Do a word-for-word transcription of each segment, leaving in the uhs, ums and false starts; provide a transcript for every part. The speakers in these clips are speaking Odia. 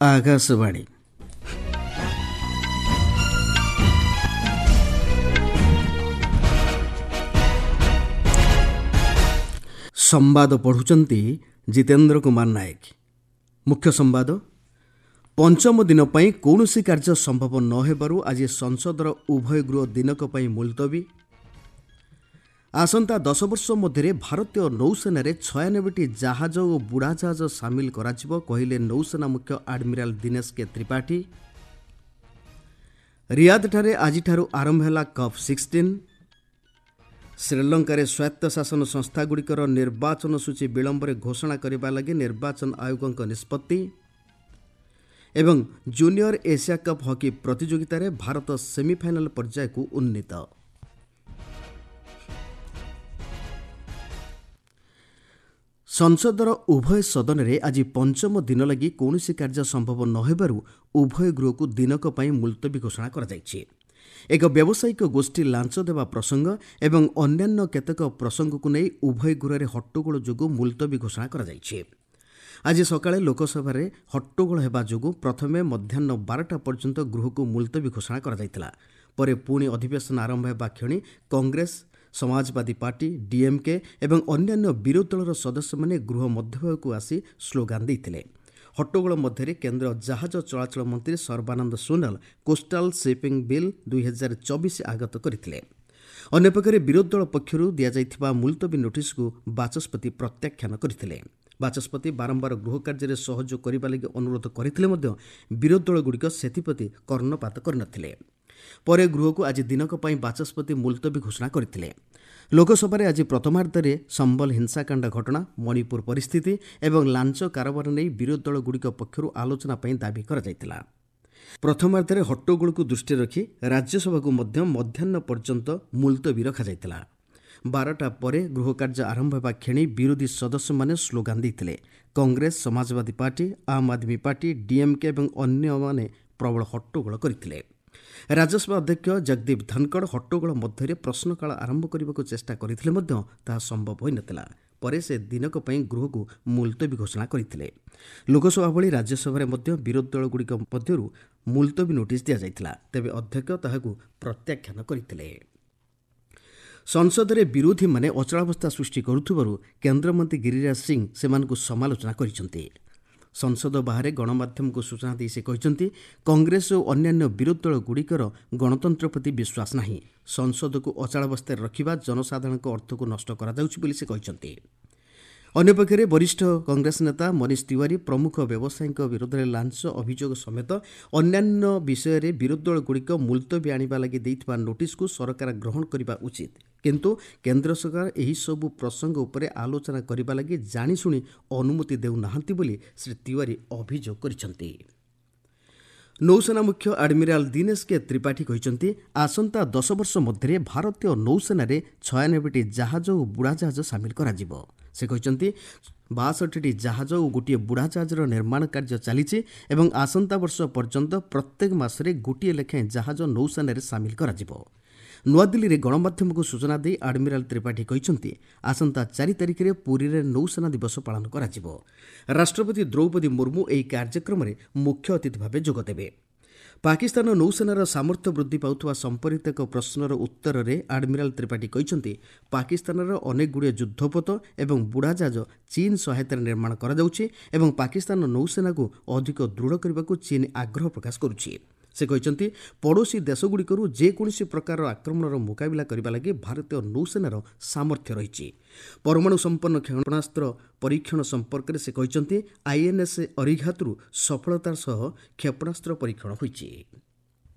ଆକାଶବାଣୀ। ସମ୍ବାଦ ପଢ଼ୁଛନ୍ତି ଜିତେନ୍ଦ୍ର କୁମାର ନାୟକ। ମୁଖ୍ୟ ସମ୍ବାଦ। ପଞ୍ଚମ ଦିନ ପାଇଁ କୌଣସି କାର୍ଯ୍ୟ ସମ୍ଭବ ନ ହେବାରୁ ଆଜି ସଂସଦର ଉଭୟ ଗୃହ ଦିନକ ପାଇଁ ମୁଲତବୀ। ଆସନ୍ତା ଦଶ ବର୍ଷ ମଧ୍ୟରେ ଭାରତୀୟ ନୌସେନାରେ ଛୟାନବେଟି ଜାହାଜ ଓ ବୁଡ଼ାଜାହାଜ ସାମିଲ କରାଯିବ, କହିଲେ ନୌସେନା ମୁଖ୍ୟ ଆଡମିରାଲ ଦିନେଶ କେ ତ୍ରିପାଠୀ। ରିୟାଦଠାରେ ଆଜିଠାରୁ ଆରମ୍ଭ ହେଲା କପ୍ ସିକ୍ସଟିନ୍। ଶ୍ରୀଲଙ୍କାରେ ସ୍ୱାୟତ୍ତଶାସନ ସଂସ୍ଥାଗୁଡ଼ିକର ନିର୍ବାଚନ ସୂଚୀ ବିଳମ୍ବରେ ଘୋଷଣା କରିବା ଲାଗି ନିର୍ବାଚନ ଆୟୋଗଙ୍କ ନିଷ୍ପତ୍ତି। ଏବଂ ଜୁନିୟର ଏସିଆ କପ୍ ହକି ପ୍ରତିଯୋଗିତାରେ ଭାରତ ସେମିଫାଇନାଲ ପର୍ଯ୍ୟାୟକୁ ଉନ୍ନୀତ। ସଂସଦର ଉଭୟ ସଦନରେ ଆଜି ପଞ୍ଚମ ଦିନ ଲାଗି କୌଣସି କାର୍ଯ୍ୟ ସମ୍ଭବ ନ ହେବାରୁ ଉଭୟ ଗୃହକୁ ଦିନକ ପାଇଁ ମୁଲତବୀ ଘୋଷଣା କରାଯାଇଛି। ଏକ ବ୍ୟବସାୟିକ ଗୋଷ୍ଠୀ ଲାଞ୍ଚ ଦେବା ପ୍ରସଙ୍ଗ ଏବଂ ଅନ୍ୟାନ୍ୟ କେତେକ ପ୍ରସଙ୍ଗକୁ ନେଇ ଉଭୟ ଗୃହରେ ହଟ୍ଟଗୋଳ ଯୋଗୁଁ ମୁଲତବୀ ଘୋଷଣା କରାଯାଇଛି। ଆଜି ସକାଳେ ଲୋକସଭାରେ ହଟ୍ଟଗୋଳ ହେବା ଯୋଗୁଁ ପ୍ରଥମେ ମଧ୍ୟାହ୍ନ ବାରଟା ପର୍ଯ୍ୟନ୍ତ ଗୃହକୁ ମୁଲତବୀ ଘୋଷଣା କରାଯାଇଥିଲା। ପରେ ପୁଣି ଅଧିବେଶନ ଆରମ୍ଭ ହେବା କ୍ଷଣି କଂଗ୍ରେସ, ସମାଜବାଦୀ ପାର୍ଟି, ଡିଏମ୍କେ ଏବଂ ଅନ୍ୟାନ୍ୟ ବିରୋଧୀ ଦଳର ସଦସ୍ୟମାନେ ଗୃହ ମଧ୍ୟଭାଗକୁ ଆସି ସ୍ଲୋଗାନ ଦେଇଥିଲେ। ହଟ୍ଟଗୋଳ ମଧ୍ୟରେ କେନ୍ଦ୍ର ଜାହାଜ ଚଳାଚଳ ମନ୍ତ୍ରୀ Sarbananda Sonowal coastal shipping bill ଦୁଇହଜାର ଚବିଶ ଆଗତ କରିଥିଲେ। ଅନ୍ୟପକ୍ଷରେ ବିରୋଧୀ ଦଳ ପକ୍ଷରୁ ଦିଆଯାଇଥିବା ମୁଲତବୀ ନୋଟିସକୁ ବାଚସ୍ପତି ପ୍ରତ୍ୟାଖ୍ୟାନ କରିଥିଲେ। ବାଚସ୍ପତି ବାରମ୍ବାର ଗୃହ କାର୍ଯ୍ୟରେ ସହଯୋଗ କରିବା ଲାଗି ଅନୁରୋଧ କରିଥିଲେ ମଧ୍ୟ ବିରୋଧୀ ଦଳଗୁଡ଼ିକ ସେଥିପ୍ରତି କର୍ଣ୍ଣପାତ କରିନଥିଲେ। ପରେ ଗୃହକୁ ଆଜି ଦିନକ ପାଇଁ ବାଚସ୍ପତି ମୁଲତବୀ ଘୋଷଣା କରିଥିଲେ। ଲୋକସଭାରେ ଆଜି ପ୍ରଥମାର୍ଦ୍ଧରେ ସମ୍ବଲ ହିଂସାକାଣ୍ଡ ଘଟଣା, ମଣିପୁର ପରିସ୍ଥିତି ଏବଂ ଲାଞ୍ଚ କାରବାର ନେଇ ବିରୋଧୀ ଦଳଗୁଡ଼ିକ ପକ୍ଷରୁ ଆଲୋଚନା ପାଇଁ ଦାବି କରାଯାଇଥିଲା। ପ୍ରଥମାର୍ଦ୍ଧରେ ହଟ୍ଟଗୋଳକୁ ଦୃଷ୍ଟିରେ ରଖି ରାଜ୍ୟସଭାକୁ ମଧ୍ୟ ମଧ୍ୟାହ୍ନ ପର୍ଯ୍ୟନ୍ତ ମୁଲତବୀ ରଖାଯାଇଥିଲା। ବାରଟା ପରେ ଗୃହ କାର୍ଯ୍ୟ ଆରମ୍ଭ ହେବା କ୍ଷଣି ବିରୋଧୀ ସଦସ୍ୟମାନେ ସ୍ଲୋଗାନ ଦେଇଥିଲେ। କଂଗ୍ରେସ, ସମାଜବାଦୀ ପାର୍ଟି, ଆମ୍ ଆଦମୀ ପାର୍ଟି, ଡିଏମ୍କେ ଏବଂ ଅନ୍ୟମାନେ ପ୍ରବଳ ହଟ୍ଟଗୋଳ କରିଥିଲେ। ରାଜ୍ୟସଭା ଅଧ୍ୟକ୍ଷ ଜଗଦୀପ ଧନଖଡ଼ ହଟ୍ଟଗୋଳ ମଧ୍ୟରେ ପ୍ରଶ୍ନକାଳ ଆରମ୍ଭ କରିବାକୁ ଚେଷ୍ଟା କରିଥିଲେ ମଧ୍ୟ ତାହା ସମ୍ଭବ ହୋଇନଥିଲା। ପରେ ସେ ଦିନକ ପାଇଁ ଗୃହକୁ ମୁଲତବୀ ଘୋଷଣା କରିଥିଲେ। ଲୋକସଭା ଭଳି ରାଜ୍ୟସଭାରେ ମଧ୍ୟ ବିରୋଧୀ ଦଳଗୁଡ଼ିକ ମଧ୍ୟରୁ ମୁଲତବୀ ନୋଟିସ୍ ଦିଆଯାଇଥିଲା। ତେବେ ଅଧ୍ୟକ୍ଷ ତାହାକୁ ପ୍ରତ୍ୟାଖ୍ୟାନ କରିଥିଲେ। ସଂସଦରେ ବିରୋଧୀମାନେ ଅଚଳାବସ୍ଥା ସୃଷ୍ଟି କରୁଥିବାରୁ କେନ୍ଦ୍ରମନ୍ତ୍ରୀ ଗିରିରାଜ ସିଂ ସେମାନଙ୍କୁ ସମାଲୋଚନା କରିଛନ୍ତି। ସଂସଦ ବାହାରେ ଗଣମାଧ୍ୟମକୁ ସୂଚନା ଦେଇ ସେ କହିଛନ୍ତି, କଂଗ୍ରେସ ଓ ଅନ୍ୟାନ୍ୟ ବିରୋଧୀ ଦଳଗୁଡ଼ିକର ଗଣତନ୍ତ୍ର ପ୍ରତି ବିଶ୍ୱାସ ନାହିଁ। ସଂସଦକୁ ଅଚଳାବସ୍ଥାରେ ରଖିବା ଜନସାଧାରଣଙ୍କ ଅର୍ଥକୁ ନଷ୍ଟ କରାଯାଉଛି ବୋଲି ସେ କହିଛନ୍ତି। ଅନ୍ୟପକ୍ଷରେ ବରିଷ୍ଠ କଂଗ୍ରେସ ନେତା ମନୀଷ ତିୱାରୀ ପ୍ରମୁଖ ବ୍ୟବସାୟୀଙ୍କ ବିରୋଧରେ ଲାଞ୍ଚ ଅଭିଯୋଗ ସମେତ ଅନ୍ୟାନ୍ୟ ବିଷୟରେ ବିରୋଧୀ ଦଳଗୁଡ଼ିକ ମୁଲତବୀ ଆଣିବା ଲାଗି ଦେଇଥିବା ନୋଟିସକୁ ସରକାର ଗ୍ରହଣ କରିବା ଉଚିତ, କିନ୍ତୁ କେନ୍ଦ୍ର ସରକାର ଏହିସବୁ ପ୍ରସଙ୍ଗ ଉପରେ ଆଲୋଚନା କରିବା ଲାଗି ଜାଣିଶୁଣି ଅନୁମତି ଦେଉନାହାନ୍ତି ବୋଲି ଶ୍ରୀ ତିୱାରୀ ଅଭିଯୋଗ କରିଛନ୍ତି। ନୌସେନା ମୁଖ୍ୟ ଆଡମିରାଲ ଦିନେଶ କେ ତ୍ରିପାଠୀ କହିଛନ୍ତି, ଆସନ୍ତା ଦଶ ବର୍ଷ ମଧ୍ୟରେ ଭାରତୀୟ ନୌସେନାରେ ଛୟାନବେଟି ଜାହାଜ ଓ ବୁଡ଼ାଜାହାଜ ସାମିଲ କରାଯିବ। ସେ କହିଛନ୍ତି, ବାଷଠିଟି ଜାହାଜ ଓ ଗୋଟିଏ ବୁଡ଼ାଜାହାଜର ନିର୍ମାଣ କାର୍ଯ୍ୟ ଚାଲିଛି ଏବଂ ଆସନ୍ତା ବର୍ଷ ପର୍ଯ୍ୟନ୍ତ ପ୍ରତ୍ୟେକ ମାସରେ ଗୋଟିଏ ଲେଖାଏଁ ଜାହାଜ ନୌସେନାରେ ସାମିଲ କରାଯିବ। ନୂଆଦିଲ୍ଲୀରେ ଗଣମାଧ୍ୟମକୁ ସୂଚନା ଦେଇ ଆଡମିରାଲ ତ୍ରିପାଠୀ କହିଛନ୍ତି, ଆସନ୍ତା ଚାରି ତାରିଖରେ ପୁରୀରେ ନୌସେନା ଦିବସ ପାଳନ କରାଯିବ। ରାଷ୍ଟ୍ରପତି ଦ୍ରୌପଦୀ ମୁର୍ମୁ ଏହି କାର୍ଯ୍ୟକ୍ରମରେ ମୁଖ୍ୟ ଅତିଥି ଭାବେ ଯୋଗଦେବେ। ପାକିସ୍ତାନ ନୌସେନାର ସାମର୍ଥ୍ୟ ବୃଦ୍ଧି ପାଉଥିବା ସମ୍ପର୍କିତ ଏକ ପ୍ରଶ୍ନର ଉତ୍ତରରେ ଆଡମିରାଲ ତ୍ରିପାଠୀ କହିଛନ୍ତି, ପାକିସ୍ତାନର ଅନେକଗୁଡ଼ିଏ ଯୁଦ୍ଧପୋତ ଏବଂ ବୁଡ଼ାଜାହାଜ ଚୀନ ସହାୟତାରେ ନିର୍ମାଣ କରାଯାଉଛି ଏବଂ ପାକିସ୍ତାନ ନୌସେନାକୁ ଅଧିକ ଦୃଢ଼ କରିବାକୁ ଚୀନ ଆଗ୍ରହ ପ୍ରକାଶ କରୁଛି। ସେ କହିଛନ୍ତି, ପଡ଼ୋଶୀ ଦେଶଗୁଡ଼ିକରୁ ଯେକୌଣସି ପ୍ରକାରର ଆକ୍ରମଣର ମୁକାବିଲା କରିବା ଲାଗି ଭାରତୀୟ ନୌସେନାର ସାମର୍ଥ୍ୟ ରହିଛି। ପରମାଣୁ ସମ୍ପନ୍ନ କ୍ଷେପଣାସ୍ତ୍ର ପରୀକ୍ଷଣ ସମ୍ପର୍କରେ ସେ କହିଛନ୍ତି, ଆଇଏନ୍ଏସ୍ ଅରିଘାତରୁ ସଫଳତାର ସହ କ୍ଷେପଣାସ୍ତ୍ର ପରୀକ୍ଷଣ ହୋଇଛି।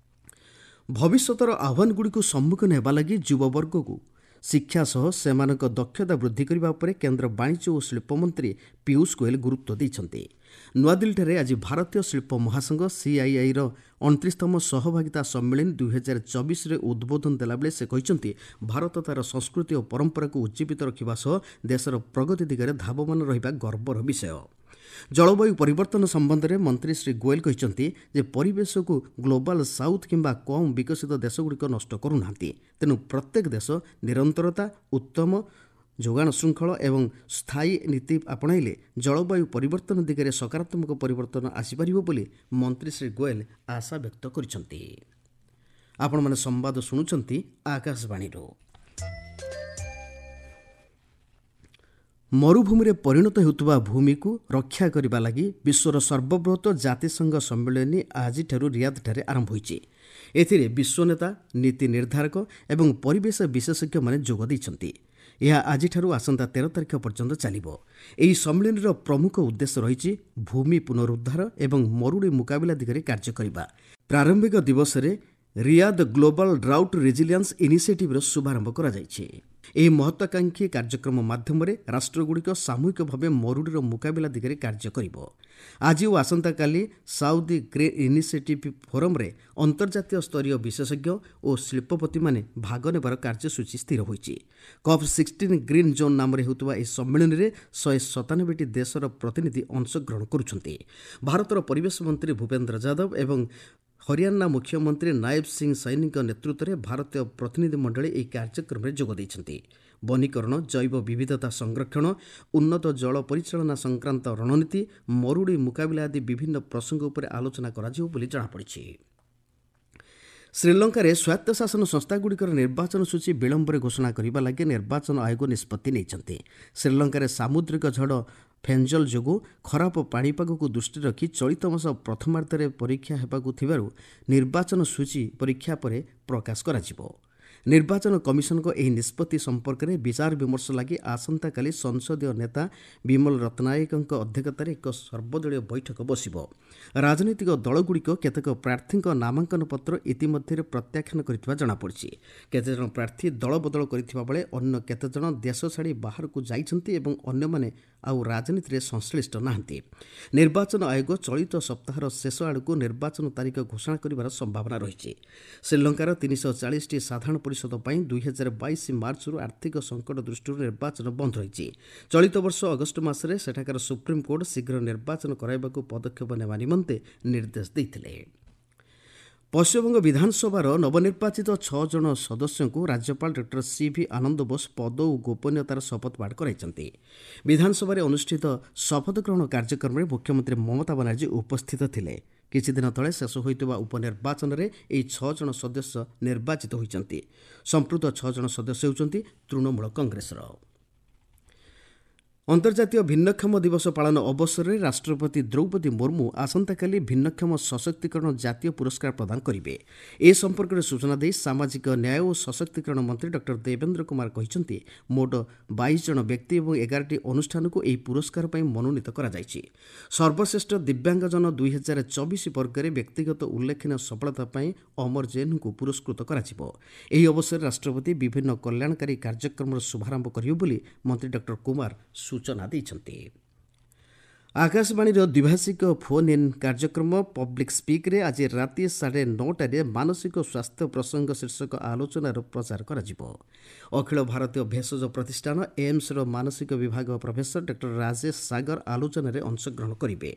ଭବିଷ୍ୟତର ଆହ୍ୱାନଗୁଡ଼ିକୁ ସମ୍ମୁଖୀନ ହେବା ଲାଗି ଯୁବବର୍ଗକୁ ଶିକ୍ଷା ସହ ସେମାନଙ୍କ ଦକ୍ଷତା ବୃଦ୍ଧି କରିବା ଉପରେ କେନ୍ଦ୍ର ବାଣିଜ୍ୟ ଓ ଶିଳ୍ପମନ୍ତ୍ରୀ ପୀୟୁଷ ଗୋଏଲ ଗୁରୁତ୍ୱ ଦେଇଛନ୍ତି। ନୂଆଦିଲ୍ଲୀଠାରେ ଆଜି ଭାରତୀୟ ଶିଳ୍ପ ମହାସଂଘ ସିଆଇଆଇର ଅଣତିରିଶତମ ସହଭାଗିତା ସମ୍ମିଳନୀ ଦୁଇହଜାର ଚବିଶରେ ଉଦ୍ବୋଧନ ଦେଲାବେଳେ ସେ କହିଛନ୍ତି, ଭାରତ ତା'ର ସଂସ୍କୃତି ଓ ପରମ୍ପରାକୁ ଉଜ୍ଜୀବିତ ରଖିବା ସହ ଦେଶର ପ୍ରଗତି ଦିଗରେ ଧାବମାନ ରହିବା ଗର୍ବର ବିଷୟ। ଜଳବାୟୁ ପରିବର୍ତ୍ତନ ସମ୍ବନ୍ଧରେ ମନ୍ତ୍ରୀ ଶ୍ରୀ ଗୋଏଲ କହିଛନ୍ତି ଯେ ପରିବେଶକୁ ଗ୍ଲୋବାଲ ସାଉଥ୍ କିମ୍ବା କମ୍ ବିକଶିତ ଦେଶଗୁଡ଼ିକ ନଷ୍ଟ କରୁନାହାନ୍ତି। ତେଣୁ ପ୍ରତ୍ୟେକ ଦେଶ ନିରନ୍ତରତା, ଉତ୍ତମ ଯୋଗାଣ ଶୃଙ୍ଖଳ ଏବଂ ସ୍ଥାୟୀ ନୀତି ଆପଣାଇଲେ ଜଳବାୟୁ ପରିବର୍ତ୍ତନ ଦିଗରେ ସକାରାତ୍ମକ ପରିବର୍ତ୍ତନ ଆସିପାରିବ ବୋଲି ମନ୍ତ୍ରୀ ଶ୍ରୀ ଗୋଏଲ ଆଶା ବ୍ୟକ୍ତ କରିଛନ୍ତି। ଆପଣମାନେ ସମ୍ବାଦ ଶୁଣୁଛନ୍ତି ଆକାଶବାଣୀରୁ। ମରୁଭୂମିରେ ପରିଣତ ହେଉଥିବା ଭୂମିକୁ ରକ୍ଷା କରିବା ଲାଗି ବିଶ୍ୱର ସର୍ବବୃହତ ଜାତିସଂଘ ସମ୍ମିଳନୀ ଆଜିଠାରୁ ରିୟାଦଠାରେ ଆରମ୍ଭ ହୋଇଛି। ଏଥିରେ ବିଶ୍ୱ ନେତା, ନୀତି ନିର୍ଦ୍ଧାରକ ଏବଂ ପରିବେଶ ବିଶେଷଜ୍ଞମାନେ ଯୋଗ ଦେଇଛନ୍ତି। ଏହା ଆଜିଠାରୁ ଆସନ୍ତା ତେର ତାରିଖ ପର୍ଯ୍ୟନ୍ତ ଚାଲିବ। ଏହି ସମ୍ମିଳନୀର ପ୍ରମୁଖ ଉଦ୍ଦେଶ୍ୟ ରହିଛି ଭୂମି ପୁନରୁଦ୍ଧାର ଏବଂ ମରୁଡ଼ି ମୁକାବିଲା ଦିଗରେ କାର୍ଯ୍ୟ କରିବା। ପ୍ରାରମ୍ଭିକ ଦିବସରେ ରିୟାଦ ଗ୍ଲୋବାଲ ଡ୍ରାଉଟ୍ ରେଜିଲିଆନ୍ସ ଇନିସିଏଟିଭ୍ର ଶୁଭାରମ୍ଭ କରାଯାଇଛି। ଏହି ମହତ୍ୱାକାଂକ୍ଷୀ କାର୍ଯ୍ୟକ୍ରମ ମାଧ୍ୟମରେ ରାଷ୍ଟ୍ରଗୁଡ଼ିକ ସାମୂହିକ ଭାବେ ମରୁଡ଼ିର ମୁକାବିଲା ଦିଗରେ କାର୍ଯ୍ୟ କରିବ। ଆଜି ଓ ଆସନ୍ତାକାଲି ସାଉଦି ଗ୍ରେ ଇନିସିଏଟିଭ୍ ଫୋରମ୍ରେ ଅନ୍ତର୍ଜାତୀୟ ସ୍ତରୀୟ ବିଶେଷଜ୍ଞ ଓ ଶିଳ୍ପପତିମାନେ ଭାଗ ନେବାର କାର୍ଯ୍ୟସୂଚୀ ସ୍ଥିର ହୋଇଛି। କପ୍ ସିକ୍ସଟିନ୍ ଗ୍ରୀନ୍ ଜୋନ୍ ନାମରେ ହେଉଥିବା ଏହି ସମ୍ମିଳନୀରେ ଶହେ ସତାନବେଟି ଦେଶର ପ୍ରତିନିଧି ଅଂଶଗ୍ରହଣ କରୁଛନ୍ତି। ଭାରତର ପରିବେଶ ମନ୍ତ୍ରୀ ଭୂପେନ୍ଦ୍ର ଯାଦବ ଏବଂ ହରିୟାଣା ମୁଖ୍ୟମନ୍ତ୍ରୀ ନାୟବ ସିଂ ସୈନୀଙ୍କ ନେତୃତ୍ୱରେ ଭାରତୀୟ ପ୍ରତିନିଧି ମଣ୍ଡଳୀ ଏହି କାର୍ଯ୍ୟକ୍ରମରେ ଯୋଗ ଦେଇଛନ୍ତି। ବନୀକରଣ, ଜୈବ ବିବିଧତା ସଂରକ୍ଷଣ, ଉନ୍ନତ ଜଳ ପରିଚାଳନା ସଂକ୍ରାନ୍ତ ରଣନୀତି, ମରୁଡ଼ି ମୁକାବିଲା ଆଦି ବିଭିନ୍ନ ପ୍ରସଙ୍ଗ ଉପରେ ଆଲୋଚନା କରାଯିବ ବୋଲି ଜଣାପଡ଼ିଛି। ଶ୍ରୀଲଙ୍କାରେ ସ୍ୱାୟତ୍ତଶାସନ ସଂସ୍ଥାଗୁଡ଼ିକର ନିର୍ବାଚନ ସୂଚୀ ବିଳମ୍ବରେ ଘୋଷଣା କରିବା ଲାଗି ନିର୍ବାଚନ ଆୟୋଗ ନିଷ୍ପତ୍ତି ନେଇଛନ୍ତି। ଶ୍ରୀଲଙ୍କାରେ ସାମୁଦ୍ରିକ ଝଡ଼ ଫେଞ୍ଜଲ ଯୋଗୁଁ ଖରାପ ପାଣିପାଗକୁ ଦୃଷ୍ଟିରେ ରଖି ଚଳିତ ମାସ ପ୍ରଥମାର୍ଦ୍ଧରେ ପରୀକ୍ଷା ହେବାକୁ ଥିବାରୁ ନିର୍ବାଚନ ସୂଚୀ ପରୀକ୍ଷା ପରେ ପ୍ରକାଶ କରାଯିବ। ନିର୍ବାଚନ କମିଶନଙ୍କ ଏହି ନିଷ୍ପତ୍ତି ସମ୍ପର୍କରେ ବିଚାର ବିମର୍ଶ ଲାଗି ଆସନ୍ତାକାଲି ସଂସଦୀୟ ନେତା ବିମଲ ରତ୍ନାୟକଙ୍କ ଅଧ୍ୟକ୍ଷତାରେ ଏକ ସର୍ବଦଳୀୟ ବୈଠକ ବସିବ। ରାଜନୈତିକ ଦଳଗୁଡ଼ିକ କେତେକ ପ୍ରାର୍ଥୀଙ୍କ ନାମାଙ୍କନ ପତ୍ର ଇତିମଧ୍ୟରେ ପ୍ରତ୍ୟାଖ୍ୟାନ କରିଥିବା ଜଣାପଡ଼ିଛି। କେତେଜଣ ପ୍ରାର୍ଥୀ ଦଳ ବଦଳ କରିଥିବା ବେଳେ ଅନ୍ୟ କେତେଜଣ ଦେଶ ଛାଡ଼ି ବାହାରକୁ ଯାଇଛନ୍ତି ଏବଂ ଅନ୍ୟମାନେ ଆଉ ରାଜନୀତିରେ ସଂଶ୍ଳିଷ୍ଟ ନାହାନ୍ତି। ନିର୍ବାଚନ ଆୟୋଗ ଚଳିତ ସପ୍ତାହର ଶେଷ ଆଡ଼କୁ ନିର୍ବାଚନ ତାରିଖ ଘୋଷଣା କରିବାର ସମ୍ଭାବନା ରହିଛି। ଶ୍ରୀଲଙ୍କାର ତିନିଶହ ଚାଳିଶଟି ସାଧାରଣ ପରିଷଦ ପାଇଁ ଦୁଇହଜାର ବାଇଶ ମାର୍ଚ୍ଚରୁ ଆର୍ଥିକ ସଙ୍କଟ ଦୃଷ୍ଟିରୁ ନିର୍ବାଚନ ବନ୍ଦ ରହିଛି। ଚଳିତ ବର୍ଷ ଅଗଷ୍ଟ ମାସରେ ସେଠାକାର ସୁପ୍ରିମକୋର୍ଟ ଶୀଘ୍ର ନିର୍ବାଚନ କରାଇବାକୁ ପଦକ୍ଷେପ ନେବା ନିମନ୍ତେ ନିର୍ଦ୍ଦେଶ ଦେଇଥିଲେ। ପଶ୍ଚିମବଙ୍ଗ ବିଧାନସଭାର ନବନିର୍ବାଚିତ ଛଅ ଜଣ ସଦସ୍ୟଙ୍କୁ ରାଜ୍ୟପାଳ ଡକ୍ଟର ସି ଭି ଆନନ୍ଦ ବୋଷ ପଦ ଓ ଗୋପନୀୟତାର ଶପଥ ପାଠ କରାଇଛନ୍ତି। ବିଧାନସଭାରେ ଅନୁଷ୍ଠିତ ଶପଥ ଗ୍ରହଣ କାର୍ଯ୍ୟକ୍ରମରେ ମୁଖ୍ୟମନ୍ତ୍ରୀ ମମତା ବାନାର୍ଜୀ ଉପସ୍ଥିତ ଥିଲେ। କିଛିଦିନ ତଳେ ଶେଷ ହୋଇଥିବା ଉପନିର୍ବାଚନରେ ଏହି ଛଅ ଜଣ ସଦସ୍ୟ ନିର୍ବାଚିତ ହୋଇଛନ୍ତି। ସମ୍ପୃକ୍ତ ଛଅ ଜଣ ସଦସ୍ୟ ହେଉଛନ୍ତି ତୃଣମୂଳ କଂଗ୍ରେସର। ଅନ୍ତର୍ଜାତୀୟ ଭିନ୍ନକ୍ଷମ ଦିବସ ପାଳନ ଅବସରରେ ରାଷ୍ଟ୍ରପତି ଦ୍ରୌପଦୀ ମୁର୍ମୁ ଆସନ୍ତାକାଲି ଭିନ୍ନକ୍ଷମ ସଶକ୍ତିକରଣ ଜାତୀୟ ପୁରସ୍କାର ପ୍ରଦାନ କରିବେ। ଏ ସମ୍ପର୍କରେ ସୂଚନା ଦେଇ ସାମାଜିକ ନ୍ୟାୟ ଓ ସଶକ୍ତିକରଣ ମନ୍ତ୍ରୀ ଡକ୍ଟର ଦେବେନ୍ଦ୍ର କୁମାର କହିଛନ୍ତି, ମୋଟ ବାଇଶ ଜଣ ବ୍ୟକ୍ତି ଏବଂ ଏଗାରଟି ଅନୁଷ୍ଠାନକୁ ଏହି ପୁରସ୍କାର ପାଇଁ ମନୋନୀତ କରାଯାଇଛି। ସର୍ବଶ୍ରେଷ୍ଠ ଦିବ୍ୟାଙ୍ଗଜନ ଦୁଇହଜାର ଚବିଶ ବର୍ଗରେ ବ୍ୟକ୍ତିଗତ ଉଲ୍ଲେଖନୀୟ ସଫଳତା ପାଇଁ ଅମର ଜୈନଙ୍କୁ ପୁରସ୍କୃତ କରାଯିବ। ଏହି ଅବସରରେ ରାଷ୍ଟ୍ରପତି ବିଭିନ୍ନ କଲ୍ୟାଣକାରୀ କାର୍ଯ୍ୟକ୍ରମର ଶୁଭାରମ୍ଭ କରିବେ ବୋଲି ମନ୍ତ୍ରୀ ଡକ୍ଟର କୁମାର ସୂଚନା ଦେଇଛନ୍ତି। ଆକାଶବାଣୀର ଦ୍ୱିଭାଷିକ ଫୋନ୍ ଇନ୍ କାର୍ଯ୍ୟକ୍ରମ ପବ୍ଲିକ୍ ସ୍ପିକ୍ରେ ଆଜି ରାତି ସାଢ଼େ ନଅଟାରେ ମାନସିକ ସ୍ୱାସ୍ଥ୍ୟ ପ୍ରସଙ୍ଗ ଶୀର୍ଷକ ଆଲୋଚନାର ପ୍ରଚାର କରାଯିବ। ଅଖିଳ ଭାରତୀୟ ଭେଷଜ ପ୍ରତିଷ୍ଠାନ ଏମ୍ସର ମାନସିକ ବିଭାଗ ପ୍ରଫେସର ଡକ୍ଟର ରାଜେଶ ସାଗର ଆଲୋଚନାରେ ଅଂଶଗ୍ରହଣ କରିବେ।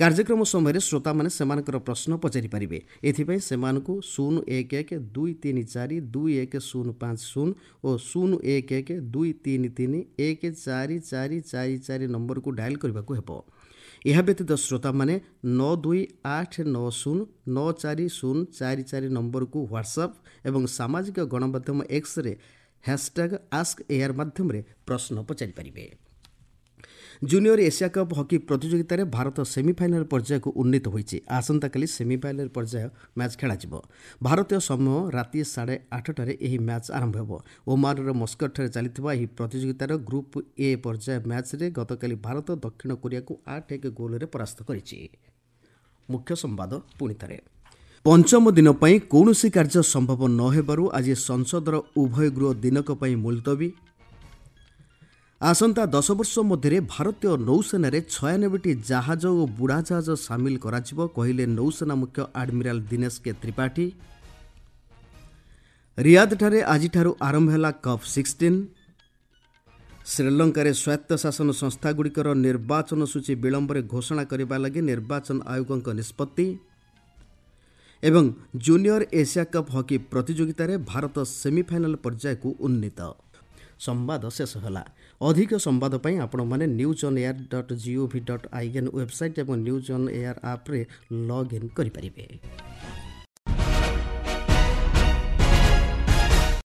କାର୍ଯ୍ୟକ୍ରମ ସମୟରେ ଶ୍ରୋତାମାନେ ସେମାନଙ୍କର ପ୍ରଶ୍ନ ପଚାରିପାରିବେ। ଏଥିପାଇଁ ସେମାନଙ୍କୁ ଶୂନ ଏକ ଏକ ଦୁଇ ତିନି ଚାରି ଦୁଇ ଏକ ଶୂନ ପାଞ୍ଚ ଶୂନ ଓ ଶୂନ ଏକ ଏକ ଦୁଇ ତିନି ତିନି ଏକ ଚାରି ଚାରି ଚାରି ଚାରି ନମ୍ବରକୁ ଡାଏଲ୍ କରିବାକୁ ହେବ। ଏହା ବ୍ୟତୀତ ଶ୍ରୋତାମାନେ ନଅ ଦୁଇ ଆଠ ନଅ ଶୂନ ନଅ ଚାରି ଶୂନ ଚାରି ଚାରି ନମ୍ବରକୁ ହ୍ୱାଟ୍ସଆପ୍ ଏବଂ ସାମାଜିକ ଗଣମାଧ୍ୟମ ଏକ୍ସରେ ହ୍ୟାସଟ୍ୟାଗ୍ ଆସ୍କ ଏଆର୍ ମାଧ୍ୟମରେ ପ୍ରଶ୍ନ ପଚାରିପାରିବେ। ଜୁନିୟର ଏସିଆ କପ୍ ହକି ପ୍ରତିଯୋଗିତାରେ ଭାରତ ସେମିଫାଇନାଲ୍ ପର୍ଯ୍ୟାୟକୁ ଉନ୍ନୀତ ହୋଇଛି। ଆସନ୍ତାକାଲି ସେମିଫାଇନାଲ୍ ପର୍ଯ୍ୟାୟ ମ୍ୟାଚ୍ ଖେଳାଯିବ। ଭାରତୀୟ ସମୟ ରାତି ସାଢ଼େ ଆଠଟାରେ ଏହି ମ୍ୟାଚ୍ ଆରମ୍ଭ ହେବ। ଓମାନର ମସ୍କଟଠାରେ ଚାଲିଥିବା ଏହି ପ୍ରତିଯୋଗିତାର ଗ୍ରୁପ୍ ଏ ପର୍ଯ୍ୟାୟ ମ୍ୟାଚ୍ରେ ଗତକାଲି ଭାରତ ଦକ୍ଷିଣ କୋରିଆକୁ ଆଠ ଏକ ଗୋଲରେ ପରାସ୍ତ କରିଛି। ମୁଖ୍ୟ ସମ୍ବାଦ ପୁଣି ଥରେ। ପଞ୍ଚମ ଦିନ ପାଇଁ କୌଣସି କାର୍ଯ୍ୟ ସମ୍ଭବ ନ ହେବାରୁ ଆଜି ସଂସଦର ଉଭୟ ଗୃହ ଦିନକ ପାଇଁ ମୁଲତବୀ। ଆସନ୍ତା ଦଶ ବର୍ଷ ମଧ୍ୟରେ ଭାରତୀୟ ନୌସେନାରେ ଛୟାନବେଟି ଜାହାଜ ଓ ବୁଡ଼ାଜାହାଜ ସାମିଲ କରାଯିବ, କହିଲେ ନୌସେନା ମୁଖ୍ୟ ଆଡମିରାଲ ଦିନେଶ କେ ତ୍ରିପାଠୀ। ରିୟାଦଠାରେ ଆଜିଠାରୁ ଆରମ୍ଭ ହେଲା କପ୍ ସିକ୍ସଟିନ୍। ଶ୍ରୀଲଙ୍କାରେ ସ୍ୱାୟତ୍ତଶାସନ ସଂସ୍ଥାଗୁଡ଼ିକର ନିର୍ବାଚନ ସୂଚୀ ବିଳମ୍ବରେ ଘୋଷଣା କରିବା ଲାଗି ନିର୍ବାଚନ ଆୟୋଗଙ୍କ ନିଷ୍ପତ୍ତି। ଏବଂ ଜୁନିୟର ଏସିଆ କପ୍ ହକି ପ୍ରତିଯୋଗିତାରେ ଭାରତ ସେମିଫାଇନାଲ ପର୍ଯ୍ୟାୟକୁ ଉନ୍ନୀତ। ସମ୍ବାଦ ଶେଷ ହେଲା। ଅଧିକ ସମ୍ବାଦ ପାଇଁ ଆପଣମାନେ news on air dot G O V dot I N website ଏବଂ ନ୍ୟୁଜ୍ ଅନ୍ ଏୟାର ଆପ୍ରେ ଲଗ୍ଇନ୍ କରିପାରିବେ।